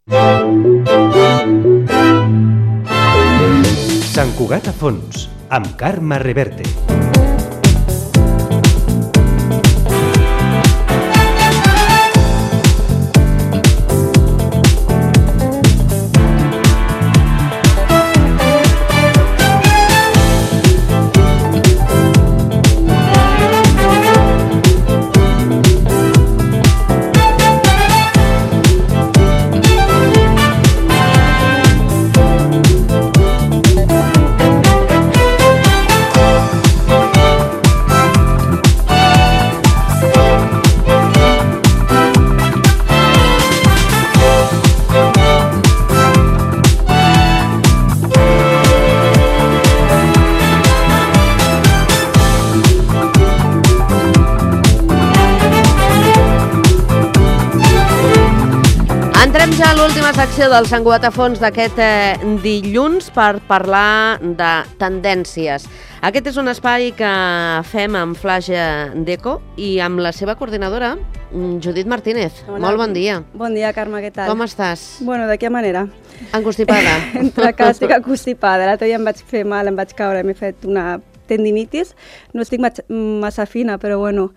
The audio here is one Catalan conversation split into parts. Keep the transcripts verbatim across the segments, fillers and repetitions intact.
Sant Cugat a fons, amb Carme Reverte. Entrem ja a l'última secció del Sant Cugat a fons d'aquest eh, dilluns per parlar de tendències. Aquest és un espai que fem amb Flash Deco i amb la seva coordinadora, Judit Martínez. Hola. Molt bon dia. Bon dia, Carme, què tal? Com estàs? Bueno, de quina manera? Encostipada. Entre que estic encostipada. L'altre dia em vaig fer mal, em vaig caure, m'he fet una tendinitis. No estic massa fina, però bueno,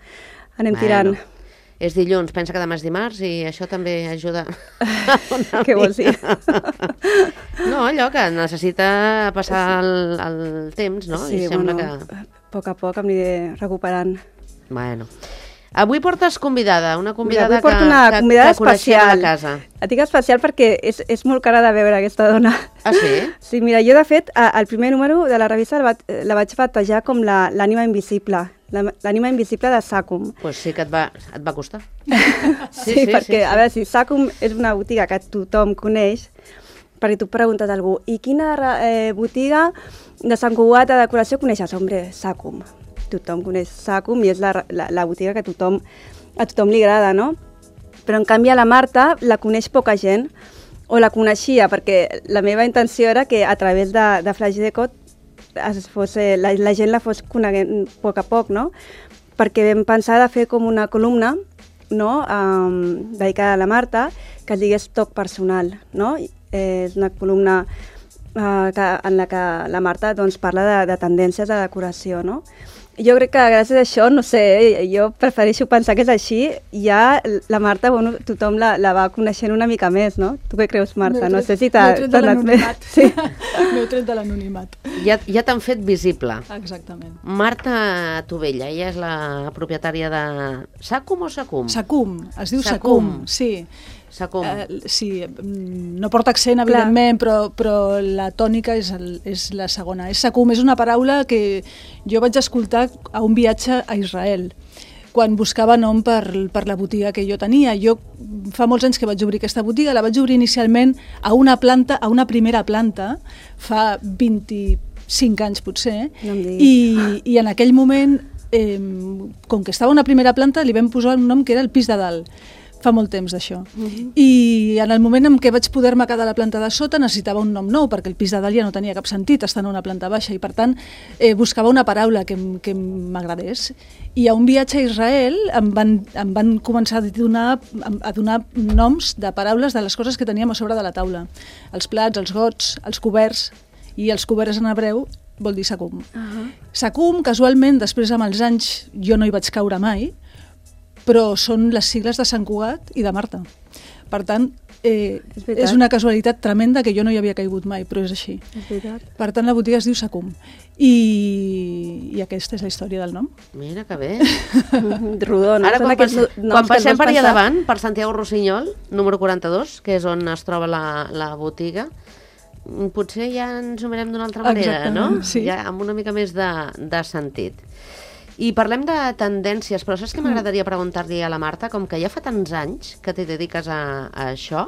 anem tirant. Bueno. És dilluns, pensa que demà és dimarts i això també ajuda. Què vols dir? No, allò que necessita passar el, el temps, no? Sí, I sembla bueno, que... a poc a poc em aniré recuperant. Bueno. Avui portes convidada, una convidada Mira, avui porto que, una que, convidada que coneixem especial. a la casa. Et dic especial perquè és, és molt cara de veure aquesta dona. Ah, sí? Sí, mira, jo de fet, el primer número de la revista la, la vaig batejar com l'ànima invisible. L'ànima invisible de Sacum. Doncs pues sí que et va, et va costar. Sí, sí, sí perquè, sí, sí. A veure, si Sacum és una botiga que tothom coneix, perquè tu preguntes a algú, i quina eh, botiga de Sant Cugat de decoració coneixes? Hombre, Sacum. Tothom coneix Sacum i és la, la, la botiga que tothom, a tothom li agrada, no? Però en canvi a la Marta la coneix poca gent, o la coneixia, perquè la meva intenció era que a través de, de Flash Deco es fos, la, la gent la fos coneguent a poc a poc, no? Perquè vam pensar de fer com una columna, no? Um, dedicada a la Marta, que es digués Toc Personal, no? Eh, és una columna uh, que, en la que la Marta doncs, parla de, de tendències de decoració, no? Jo crec que gràcies a això, no sé, jo prefereixo pensar que és així, ja la Marta, bueno, tothom la, la va coneixent una mica més, no? Tu què creus, Marta? No sé si t'ha anat més. Sí. M'heu tret de l'anonimat. Ja, ja t'han fet visible. Exactament. Marta Tovella, ella és la propietària de Sacum o Sacum? Sacum, es diu Sacum. Sacum, sí. Sacum. Uh, sí, no porta accent, evidentment, però, però la tònica és, el, és la segona. És Sacum, és una paraula que jo vaig escoltar a un viatge a Israel, quan buscava nom per, per la botiga que jo tenia. Jo fa molts anys que vaig obrir aquesta botiga, la vaig obrir inicialment a una planta, a una primera planta, fa vint-i-cinc anys potser, no i, i en aquell moment, eh, com que estava a una primera planta, li vam posar un nom que era el pis de dalt. Fa molt temps d'això. Uh-huh. I en el moment en què vaig poder-me quedar a la planta de sota necessitava un nom nou, perquè el pis de dalt ja no tenia cap sentit, estant a una planta baixa, i per tant eh, buscava una paraula que, que m'agradés. I a un viatge a Israel em van, em van començar a donar, a donar noms de paraules de les coses que teníem a sobre de la taula. Els plats, els gots, els coberts, i els coberts en hebreu vol dir Sacum. Uh-huh. Sacum, casualment, després amb els anys, jo no hi vaig caure mai, però són les sigles de Sant Cugat i de Marta. Per tant, eh, és, és una casualitat tremenda que jo no hi havia caigut mai, però és així. És veritat. Per tant, la botiga es diu Sacum. I, i aquesta és la història del nom. Mira que bé. Rodó, no? Ara, quan, pas, quan passem per allà pensar... davant, per Santiago Rossinyol, número quaranta-dos, que és on es troba la, la botiga, potser ja ens ho mirem d'una altra manera, exactament, no? Sí. Ja amb una mica més de, de sentit. I parlem de tendències, però saps què m'agradaria preguntar-li a la Marta? Com que ja fa tants anys que t'hi dediques a, a això,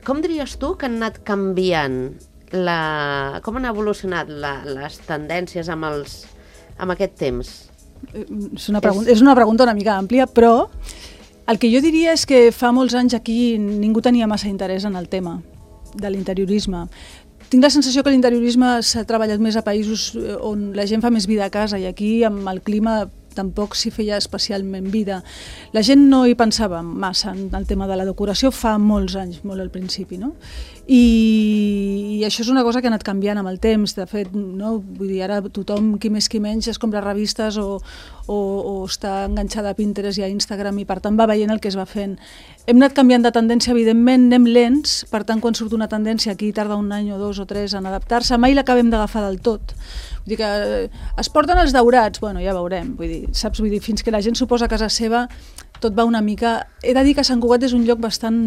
com diries tu que han anat canviant, la, com han evolucionat la, les tendències amb, els, amb aquest temps? És una, pregunta, és una pregunta una mica àmplia, però el que jo diria és que fa molts anys aquí ningú tenia massa interès en el tema de l'interiorisme. Tinc la sensació que l'interiorisme s'ha treballat més a països on la gent fa més vida a casa, i aquí amb el clima tampoc s'hi feia especialment vida. La gent no hi pensava massa en el tema de la decoració fa molts anys, molt al principi, no? I, i això és una cosa que ha anat canviant amb el temps. De fet, no? Vull dir, ara tothom, qui més qui menys, es compra revistes o, o, o està enganxada a Pinterest i a Instagram i per tant va veient el que es va fent. Hem anat canviant de tendència, evidentment, anem lents, per tant, quan surt una tendència aquí tarda un any o dos o tres en adaptar-se, mai l'acabem d'agafar del tot. Vull dir que es porten els daurats, bueno, ja veurem, vull dir, saps? Vull dir, fins que la gent s'ho posa a casa seva, tot va una mica... He de dir que Sant Cugat és un lloc bastant...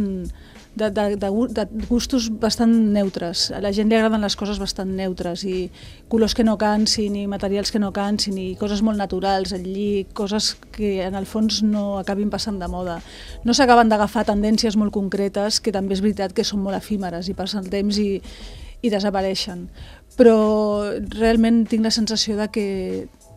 De, de, de, de gustos bastant neutres. A la gent li agraden les coses bastant neutres i colors que no cansin i materials que no cansin i coses molt naturals, el lli, coses que en el fons no acabin passant de moda. No s'acaben d'agafar tendències molt concretes que també és veritat que són molt efímeres i passen el temps i, i desapareixen. Però realment tinc la sensació de que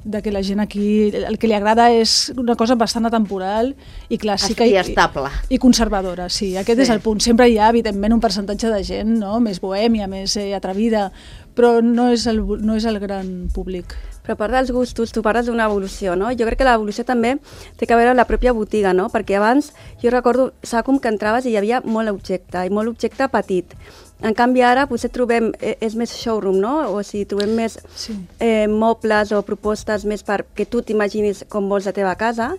de que la gent aquí, el que li agrada és una cosa bastant atemporal i clàssica i, estable. I conservadora, sí, aquest sí. És el punt. Sempre hi ha, evidentment, un percentatge de gent, no? Més bohèmia, més eh, atrevida, però no és, el, no és el gran públic. Però a part dels gustos, tu parles d'una evolució, no? Jo crec que l'evolució també té a veure amb la pròpia botiga, no? Perquè abans, jo recordo, Sacum, que entraves i hi havia molt objecte, i molt objecte petit. En canvi, ara potser trobem, és més showroom, no? O sigui, trobem més sí. eh, mobles o propostes més perquè tu t'imaginis com vols la teva casa,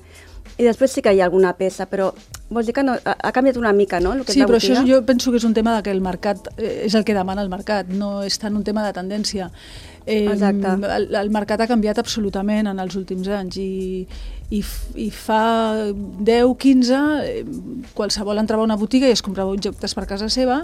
i després sí que hi ha alguna peça, però vols dir que no, ha, ha canviat una mica, no? El que sí, és la però botiga. Això jo penso que és un tema de que el mercat eh, és el que demana el mercat, no és tant un tema de tendència. Eh, Exacte. El, el mercat ha canviat absolutament en els últims anys i, i, i fa deu, quinze, eh, qualsevol entrava a una botiga i es comprava objectes per casa seva.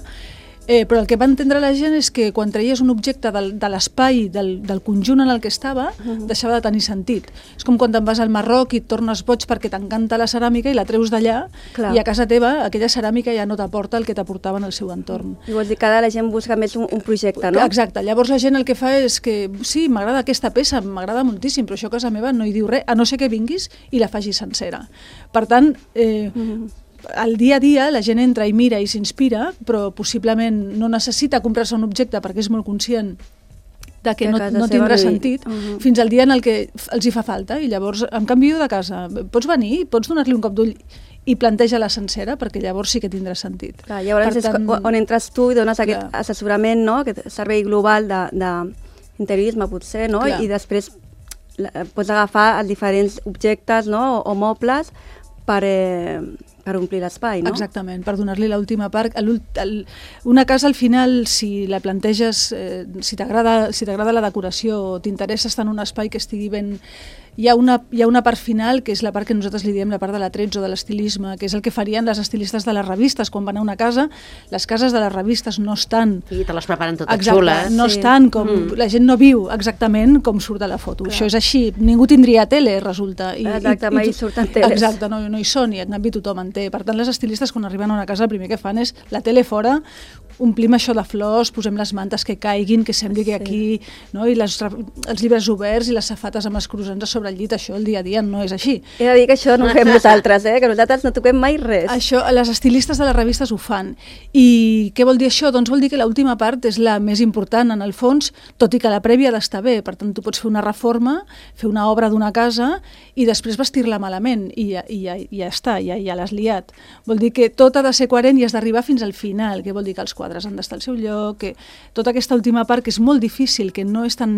Eh, però el que va entendre la gent és que quan traies un objecte del, de l'espai, del, del conjunt en el que estava, uh-huh. deixava de tenir sentit. És com quan te'n vas al Marroc i et tornes boig perquè t'encanta la ceràmica i la treus d'allà i a casa teva aquella ceràmica ja no t'aporta el que t'aportava en el seu entorn. I vols dir que ara la gent busca més un, un projecte, no? Exacte. Llavors la gent el que fa és que sí, m'agrada aquesta peça, m'agrada moltíssim, però això a casa meva no hi diu res, a no ser que vinguis i la facis sencera. Per tant, eh, uh-huh. al dia a dia la gent entra i mira i s'inspira, però possiblement no necessita comprar-se un objecte perquè és molt conscient de que, que no, no tindrà sentit, uh-huh. fins al dia en el que els hi fa falta. I llavors, en canvi, de casa, pots venir, pots donar-li un cop d'ull i planteja-la sencera, perquè llavors sí que tindrà sentit. Clar, llavors per tant, és on entres tu i dones aquest clar. assessorament, no? Aquest servei global d'interiorisme, potser, no? Clar. I després la, pots agafar els diferents objectes, no? o, o mobles per... Eh, per omplir l'espai, no? Exactament, per donar-li l'última part. El, el, una casa, al final, si la planteges, eh, si t'agrada si t'agrada la decoració, t'interessa estar en un espai que estigui ben... Hi ha, una, hi ha una part final, que és la part que nosaltres li diem la part de l'atrezzo, de l'estilisme, que és el que farien les estilistes de les revistes. Quan van a una casa, les cases de les revistes no estan... I te les preparen totes exacte, xules. No sí. estan com... Mm. La gent no viu exactament com surt de la foto. Clar. Això és així. Ningú tindria tele, resulta. I, exacte, i, mai i, surten teles. Exacte, no, no hi són, i en canvi tothom en té. Per tant, les estilistes, quan arriben a una casa, el primer que fan és la tele fora, omplim això de flors, posem les mantes que caiguin, que sembli que aquí... No? I les, els llibres oberts i les safates amb els croissants a sobre el llit, això el dia a dia no és així. He de dir que això no ho fem nosaltres, eh? Que nosaltres no toquem mai res. Això, les estilistes de les revistes ho fan. I què vol dir això? Doncs vol dir que l'última part és la més important, en el fons, tot i que la prèvia ha d'estar bé. Per tant, tu pots fer una reforma, fer una obra d'una casa i després vestir-la malament. I ja, i ja, ja està, ja, ja l'has liat. Vol dir que tot ha de ser coherent i has d'arribar fins al final, que vol dir que els quadres han d'estar al seu lloc, que tota aquesta última part, que és molt difícil, que no és tan...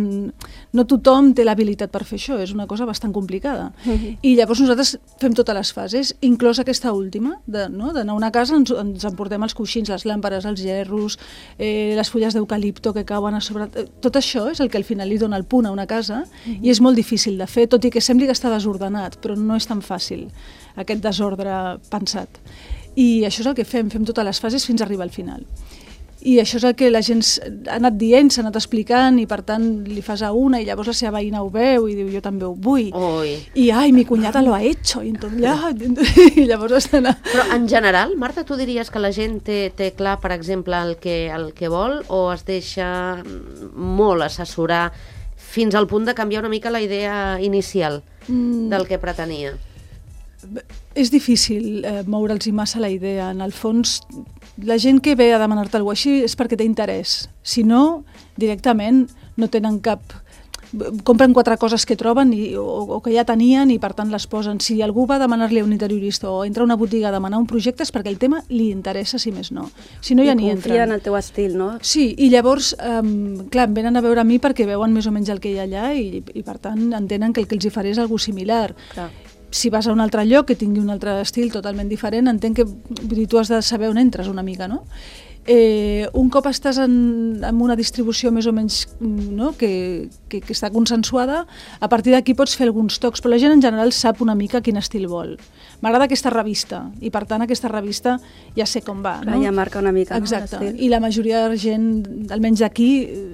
No tothom té l'habilitat per fer això, és una cosa bastant complicada. Uh-huh. I llavors nosaltres fem totes les fases, inclòs aquesta última, de, no? d'anar a una casa, ens, ens emportem els coixins, les làmperes, els gerros, eh, les fulles d'eucalipto que cauen a sobre... Tot això és el que al final li dona el punt a una casa, uh-huh. i és molt difícil de fer, tot i que sembli que està desordenat, però no és tan fàcil, aquest desordre pensat. I això és el que fem, fem totes les fases fins a arribar al final. I això és el que la gent ha anat dient, s'ha anat explicant, i per tant li fas a una i llavors la seva veïna ho veu i diu jo també ho vull. Ui. I ai, mi cunyada lo ha hecho. I, entonces, ja, i llavors estan... A... Però en general, Marta, tu diries que la gent té, té clar, per exemple, el que, el que vol, o es deixa molt assessorar fins al punt de canviar una mica la idea inicial mm. del que pretenia? És difícil eh, moure'ls massa la idea. En el fons, la gent que ve a demanar-te alguna cosa així és perquè té interès. Si no, directament no tenen cap... compren quatre coses que troben i, o, o que ja tenien i per tant les posen. Si algú va demanar-li a un interiorista o entra a una botiga a demanar un projecte és perquè el tema li interessa, si més no. Si no, ja ni entren. I confia en el teu estil, no? Sí, i llavors, um, clar, em venen a veure a mi perquè veuen més o menys el que hi ha allà i, i per tant entenen que el que els hi faré és algú similar. Clar. Si vas a un altre lloc que tingui un altre estil totalment diferent, entenc que vull dir, tu has de saber on entres una mica, no? Eh, un cop estàs en, en una distribució més o menys, no? que, que, que està consensuada, a partir d'aquí pots fer alguns tocs, però la gent en general sap una mica quin estil vol. M'agrada aquesta revista i per tant aquesta revista ja sé com va. Clar, no? Ja marca una mica. Exacte, no? I la majoria de gent, almenys d'aquí,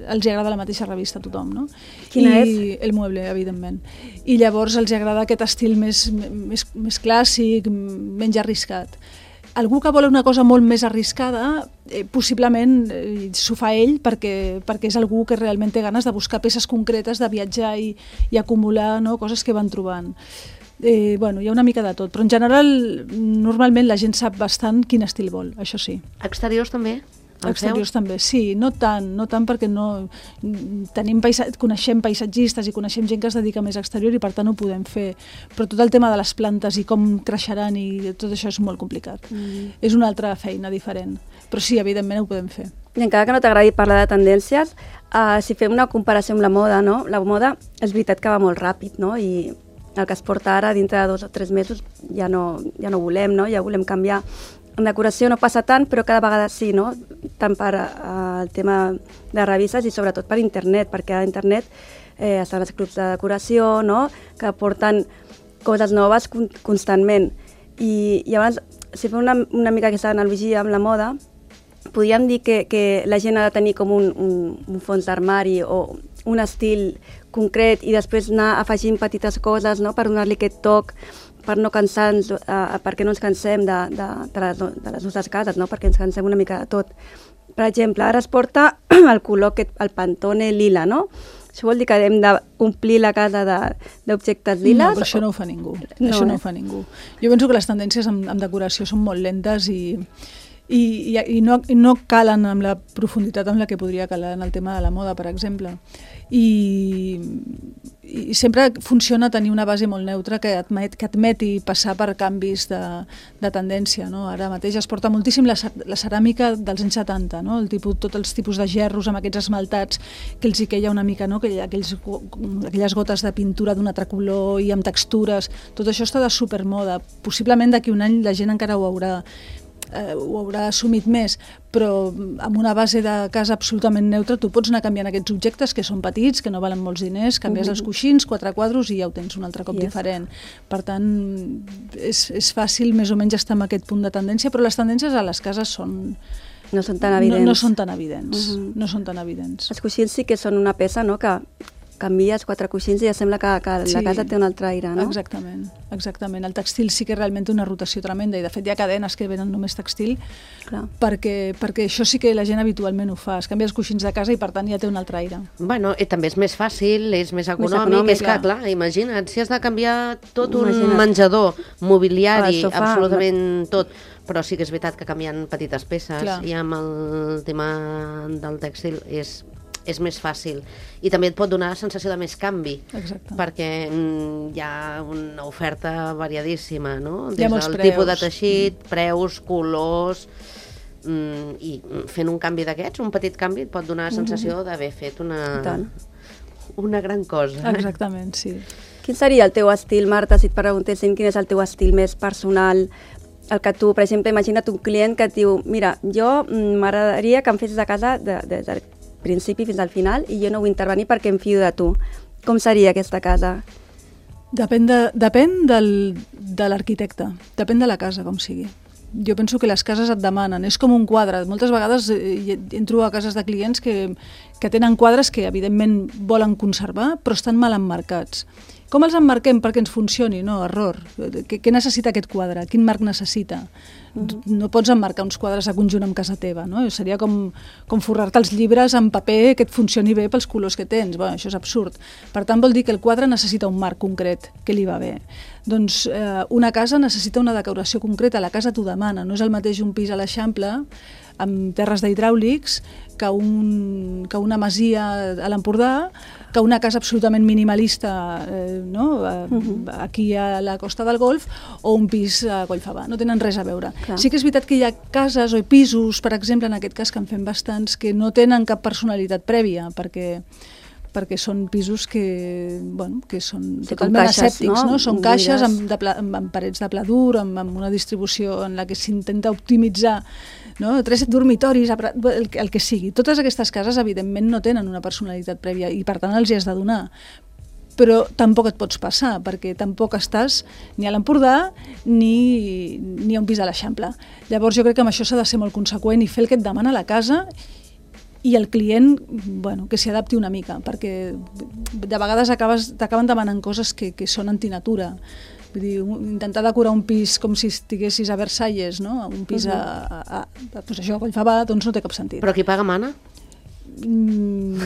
els agrada la mateixa revista a tothom. No? Quina I és? El Mueble, evidentment. I llavors els agrada aquest estil més, més, més clàssic, menys arriscat. Algú que vol una cosa molt més arriscada, eh, possiblement eh, s'ho fa ell perquè, perquè és algú que realment té ganes de buscar peces concretes, de viatjar i, i acumular, no? Coses que van trobant. Eh, bueno, hi ha una mica de tot, però en general normalment la gent sap bastant quin estil vol, això sí. Exteriors també? Exteriors també, sí, no tant, no tant perquè no tenim paisa... coneixem paisatgistes i coneixem gent que es dedica més a exterior i per tant ho podem fer, però tot el tema de les plantes i com creixeran i tot això és molt complicat. Mm. És una altra feina diferent, però sí, evidentment ho podem fer. I encara que no t'agradi parlar de tendències, uh, si fem una comparació amb la moda, no? La moda és veritat que va molt ràpid, no? I el que es porta ara dintre de dos o tres mesos ja no, ja no volem, no? Ja volem canviar. En decoració no passa tant, però cada vegada sí, no? Tant per uh, el tema de revistes i sobretot per internet, perquè a internet eh, estan els clubs de decoració, no? Que porten coses noves con constantment. I llavors, si fem una, una mica aquesta analogia amb la moda, podríem dir que, que la gent ha de tenir com un, un, un fons d'armari o un estil concret i després anar afegint petites coses, no? Per donar-li aquest toc, per no cansar-nos, uh, perquè no ens cansem de, de, de, les, de les nostres cases, no? Perquè ens cansem una mica de tot. Per exemple, ara es porta el color, aquest, el Pantone lila, no? Això vol dir que hem d'omplir la casa d'objectes liles? No, però això no ho fa ningú. No, això no eh? ho fa ningú. Jo penso que les tendències en, en decoració són molt lentes i, i, i, i, no, i no calen amb la profunditat amb la que podria calar en el tema de la moda, per exemple. I, i sempre funciona tenir una base molt neutra que, admet, que admeti passar per canvis de, de tendència. No? Ara mateix es porta moltíssim la, la ceràmica dels anys setanta, no? El tipus, tots els tipus de gerros amb aquests esmaltats que els hi queia una mica, no? Que aquells, aquelles gotes de pintura d'un altre color i amb textures, tot això està de supermoda. Possiblement d'aquí un any la gent encara ho haurà Eh, ho haurà assumit més, però amb una base de casa absolutament neutra tu pots anar canviant aquests objectes que són petits, que no valen molts diners, canvies uh -huh. els coixins, quatre quadros i ja ho tens un altre cop yes. diferent. Per tant, és, és fàcil més o menys estar en aquest punt de tendència, però les tendències a les cases són... No són tan evidents. No, no són tan evidents. Uh -huh. No són tan evidents. Els coixins sí que són una peça, no?, que canvies quatre coixins i ja sembla que, que sí, la casa té un altre aire, no? Exactament, exactament. El textil sí que realment té una rotació tremenda i de fet hi ha cadenes que venen només textil perquè, perquè això sí que la gent habitualment ho fa. Es canvia els coixins de casa i per tant ja té un altre aire. Bueno, i també és més fàcil, és més econòmic, més econòmic és clar. que, clar, imagina't, si has de canviar tot un imagina't. menjador, mobiliari, sofà, absolutament la... tot, però sí que és veritat que canviant petites peces clar. i amb el tema del tèxtil és... és més fàcil. I també et pot donar la sensació de més canvi. Exacte. Perquè mm, hi ha una oferta variadíssima, no? Des hi ha molts del preus. tipus de teixit, mm. preus, colors... Mm, i fent un canvi d'aquests, un petit canvi, et pot donar la sensació d'haver fet una, una gran cosa. Exactament, sí. Quin seria el teu estil, Marta, si et preguntéssim quin és el teu estil més personal? El que tu, per exemple, imagina't un client que et diu mira, jo m'agradaria que em fessis a casa de, de, de principi fins al final i jo no vull intervenir perquè em fio de tu. Com seria aquesta casa? Depèn de, depèn del, de l'arquitecte, depèn de la casa, com sigui. Jo penso que les cases et demanen, és com un quadre. Moltes vegades entro a cases de clients que, que tenen quadres que evidentment volen conservar però estan mal emmarcats. Com els emmarquem perquè ens funcioni? No, error. Què, què necessita aquest quadre? Quin marc necessita? Uh-huh. No pots emmarcar uns quadres a conjunt amb casa teva, no? Seria com, com forrar-te els llibres en paper que et funcioni bé pels colors que tens. Bueno, això és absurd. Per tant, vol dir que el quadre necessita un marc concret que li va bé. Doncs eh, una casa necessita una decoració concreta, la casa t'ho demana. No és el mateix un pis a l'Eixample amb terres d'hidràulics que, un, que una masia a l'Empordà, que una casa absolutament minimalista eh, no? uh-huh. aquí a la Costa del Golf o un pis a Collfabà. No tenen res a veure. Clar. Sí que és veritat que hi ha cases o pisos, per exemple, en aquest cas que en fem bastants, que no tenen cap personalitat prèvia, perquè perquè són pisos que, bueno, que són sí, totalment caixes, asèptics, no? No? Són caixes amb, de pla, amb, amb parets de pla dur, amb, amb una distribució en la que s'intenta optimitzar, no? Tres dormitoris, el, el que sigui. Totes aquestes cases, evidentment, no tenen una personalitat prèvia i, per tant, els hi has de donar. Però tampoc et pots passar, perquè tampoc estàs ni a l'Empordà ni, ni a un pis a l'Eixample. Llavors, jo crec que amb això s'ha de ser molt conseqüent i fer el que et demana la casa i el client, bueno, que s'hi adapti una mica, perquè de vegades acabes, t'acaben demanant coses que, que són antinatura. Vull dir, intentar decorar un pis com si estiguessis a Versalles, no? Un pis a, a, a, a, pues això, a Collfabà, doncs no té cap sentit. Però qui paga mana? Mm.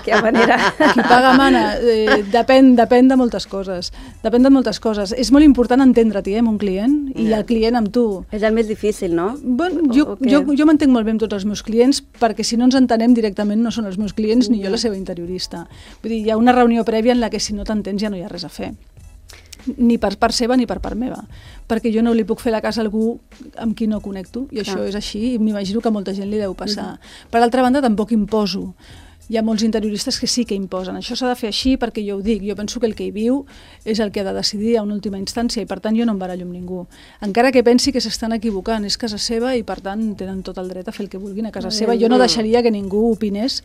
Que manera. Qui paga mana, eh, depèn, depèn de moltes coses. Depèn de moltes coses. És molt important entendre-t'hi eh, amb un client i el client amb tu. És el més difícil, no? Bon, jo jo, jo m'entenc molt bé amb tots els meus clients, perquè si no ens entenem directament no són els meus clients ni jo la seva interiorista. Vull dir, hi ha una reunió prèvia en la que si no t'entens ja no hi ha res a fer. Ni per part seva ni per part meva, perquè jo no li puc fer la casa a algú amb qui no connecto, i això és així, i m'imagino que a molta gent li deu passar. Mm-hmm. Per altra banda, tampoc imposo. Hi ha molts interioristes que sí que imposen. Això s'ha de fer així perquè jo ho dic. Jo penso que el que hi viu és el que ha de decidir a una última instància i, per tant, jo no em barallo amb ningú. Encara que pensi que s'estan equivocant, és casa seva i, per tant, tenen tot el dret a fer el que vulguin a casa seva. Jo no deixaria que ningú opinés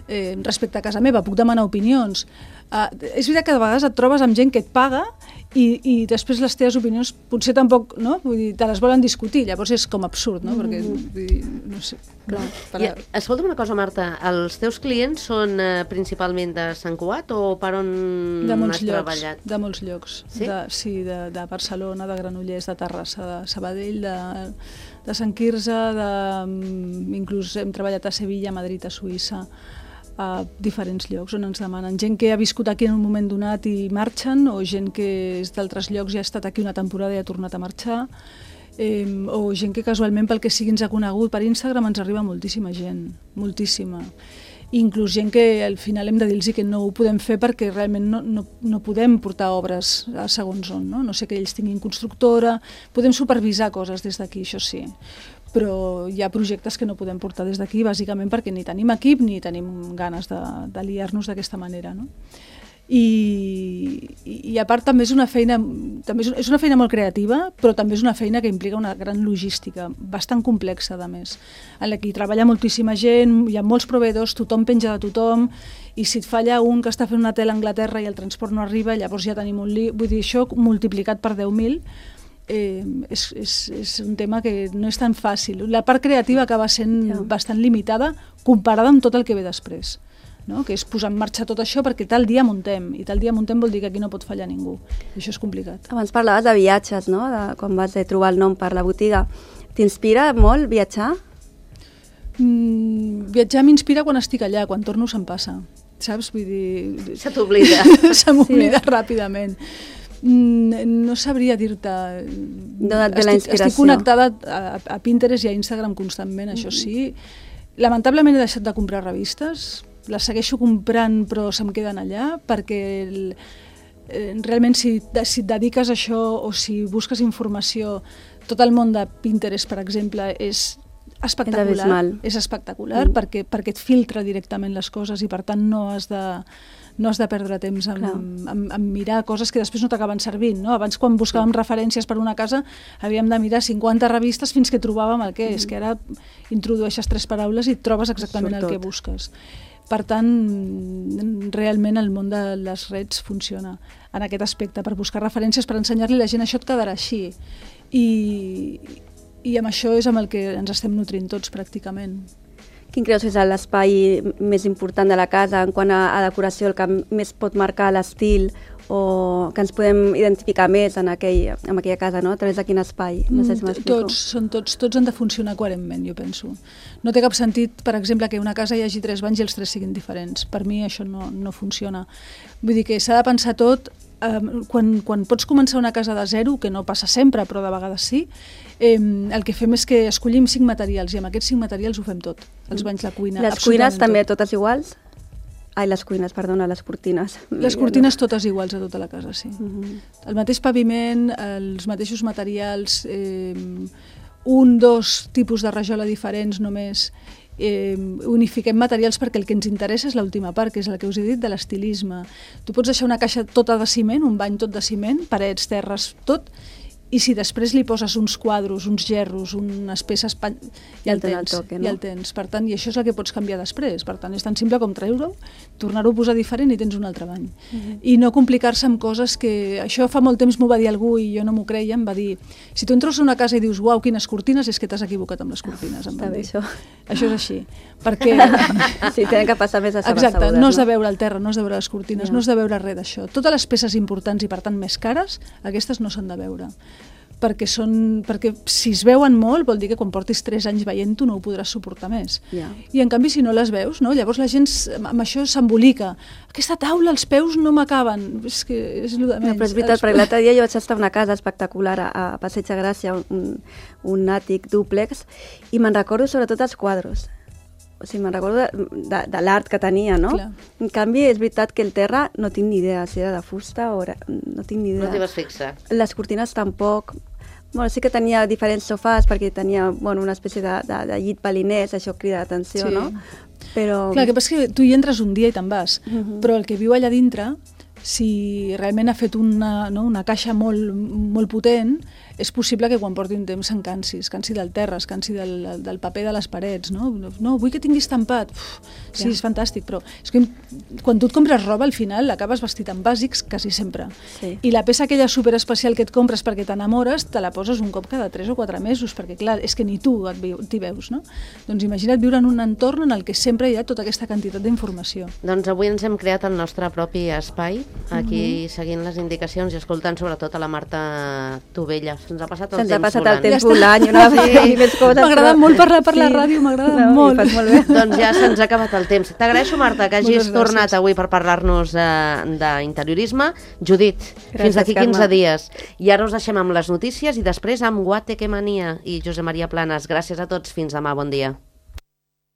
eh, respecte a casa meva. Puc demanar opinions. Uh, és veritat que de vegades et trobes amb gent que et paga i, i després les teves opinions potser tampoc, no? Vull dir, te les volen discutir, llavors és com absurd, no? Perquè, vull dir, no sé. Clar. Per... I, escolta'm una cosa, Marta, els teus clients són eh, principalment de Sant Cugat o per on de molts has llocs, treballat? De molts llocs, sí, de, sí de, de Barcelona, de Granollers, de Terrassa, de Sabadell, de, de Sant Quirze, de, inclús hem treballat a Sevilla, a Madrid, a Suïssa, a diferents llocs on ens demanen. Gent que ha viscut aquí en un moment donat i marxen, o gent que és d'altres llocs i ha estat aquí una temporada i ha tornat a marxar, eh, o gent que casualment pel que sigui ens ha conegut per Instagram. Ens arriba moltíssima gent, moltíssima. Inclús gent que al final hem de dir-los que no ho podem fer perquè realment no, no, no podem portar obres a segons on, no? No sé que ells tinguin constructora, podem supervisar coses des d'aquí, això sí, però hi ha projectes que no podem portar des d'aquí bàsicament perquè ni tenim equip ni tenim ganes de, de liar-nos d'aquesta manera, no? I, i a part també és una feina també és una feina molt creativa, però també és una feina que implica una gran logística bastant complexa, a més, en la que hi treballa moltíssima gent, hi ha molts proveïdors, tothom penja de tothom, i si et falla un que està fent una tela a Anglaterra i el transport no arriba, llavors ja tenim un lío. Vull dir, això multiplicat per deu mil eh, és, és, és un tema que no és tan fàcil. La part creativa acaba sent ja. bastant limitada comparada amb tot el que ve després, no? Que és posar en marxa tot això perquè tal dia muntem, i tal dia muntem vol dir que aquí no pot fallar ningú, i això és complicat. Abans parlaves de viatges, no? De quan vas trobar el nom per la botiga. T'inspira molt viatjar? Mm, viatjar m'inspira quan estic allà, quan torno se'm passa, saps? Vull dir... Se t'oblida. Se m'oblida sí. ràpidament. No sabria dir-te... No et ve la inspiració. Estic connectada a, a Pinterest i a Instagram constantment, això sí. Lamentablement he deixat de comprar revistes, les segueixo comprant però se'm queden allà perquè el, eh, realment si, si et dediques a això o si busques informació, tot el món de Pinterest, per exemple, és espectacular, és, és espectacular mm. perquè, perquè et filtra directament les coses i per tant no has de, no has de perdre temps en, en, en mirar coses que després no t'acaben servint, no? Abans quan buscàvem sí. referències per una casa havíem de mirar cinquanta revistes fins que trobàvem el que és, mm. que ara introdueixes tres paraules i et trobes exactament el que busques. Per tant, realment el món de les redes funciona en aquest aspecte, per buscar referències, per ensenyar-li a la gent això et quedarà així. I, i amb això és amb el que ens estem nutrint tots pràcticament. Quin creus que és l'espai més important de la casa en quant a, a decoració, el que més pot marcar l'estil o que ens podem identificar més en, aquell, en aquella casa, no? A través de quin espai? No sé si m'explico. Tots, són tots, tots han de funcionar coherentment, jo penso. No té cap sentit, per exemple, que una casa hi hagi tres banys i els tres siguin diferents. Per mi això no, no funciona. Vull dir que s'ha de pensar tot eh, quan, quan pots començar una casa de zero, que no passa sempre, però de vegades sí, eh, el que fem és que escollim cinc materials i amb aquests cinc materials ho fem tot. Els banys, la cuina, les cuines també tot. Totes iguals? Ai, les cuines, perdona, les cortines. Les cortines totes iguals a tota la casa, sí. Uh Mhm. -huh. El mateix paviment, els mateixos materials, eh, un, dos tipus de rajola diferents només. Eh, unifiquem materials perquè el que ens interessa és l'última part, que és la que us he dit de l'estilisme. Tu pots deixar una caixa tota de ciment, un bany tot de ciment, parets, terres, tot, i si després li poses uns quadros, uns gerros, unes peces, pan... ja el tens, el toque, no? Ja el tens. Per tant, i això és el que pots canviar després. Per tant, és tan simple com treure-ho, tornar-ho a posar diferent i tens un altre bany. Mm-hmm. I no complicar-se amb coses que... Això fa molt temps m'ho va dir algú i jo no m'ho creia, em va dir, si tu entres a una casa i dius, uau, quines cortines, és que t'has equivocat amb les cortines. Em Està bé, això. Això és així. Perquè... sí, tenen que passar més a saber. Exacte, no has de veure el terra, no has de veure les cortines, ja. no has de veure res d'això. Totes les peces importants i, per tant, més cares, aquestes no s'han de veure. Perquè, són, perquè si es veuen molt vol dir que quan portis tres anys veient-ho no ho podràs suportar més. Yeah. I en canvi si no les veus, no? Llavors la gent amb això s'embolica. Aquesta taula, els peus no m'acaben. És que és el de menys. No, però és veritat, els... perquè l'altre dia jo vaig estar a una casa espectacular a, a Passeig de Gràcia, un, un àtic dúplex, i me'n recordo sobretot els quadros. O sigui, me'n recordo de, de, de l'art que tenia, no? Clar. En canvi, és veritat que el terra no tinc ni idea si era de fusta o era... no tinc ni idea. No t'hi vas fixar. Les cortines tampoc. Bueno, sí que tenia diferents sofàs perquè tenia bueno, una espècie de, de, de llit balinès, això crida l'atenció, sí. no? Però... Clar, el que passa és que tu hi entres un dia i te'n vas, uh -huh. però el que viu allà dintre, si realment ha fet una, no, una caixa molt, molt potent, és possible que quan porti un temps se'n cansi, es cansi del terra, es cansi del, del paper de les parets, no? No, vull que tinguis estampat. Uf, sí, ja. És fantàstic, però és que quan tu et compres roba, al final l'acabes vestit en bàsics quasi sempre. Sí. I la peça aquella superespecial que et compres perquè t'enamores, te la poses un cop cada tres o quatre mesos, perquè clar, és que ni tu t'hi veus, no? Doncs imagina't viure en un entorn en el que sempre hi ha tota aquesta quantitat d'informació. Doncs avui ens hem creat el nostre propi espai, aquí mm-hmm. seguint les indicacions i escoltant sobretot a la Marta Tovella. Se'ns ha passat el Se'ns temps ha passat volant. el temps volant i una sí. més coses. M'agrada però... molt parlar per sí. la ràdio, m'agrada no, molt. molt bé. Doncs ja se'ns ha acabat el temps. T'agraeixo, Marta, que hagis Moltes tornat gràcies. avui per parlar-nos eh, d'interiorisme. Judit, Gràcies, fins d'aquí quinze Carme. dies. I ara us deixem amb les notícies i després amb Guateque Mania i Josep Maria Planes. Gràcies a tots, fins demà, bon dia.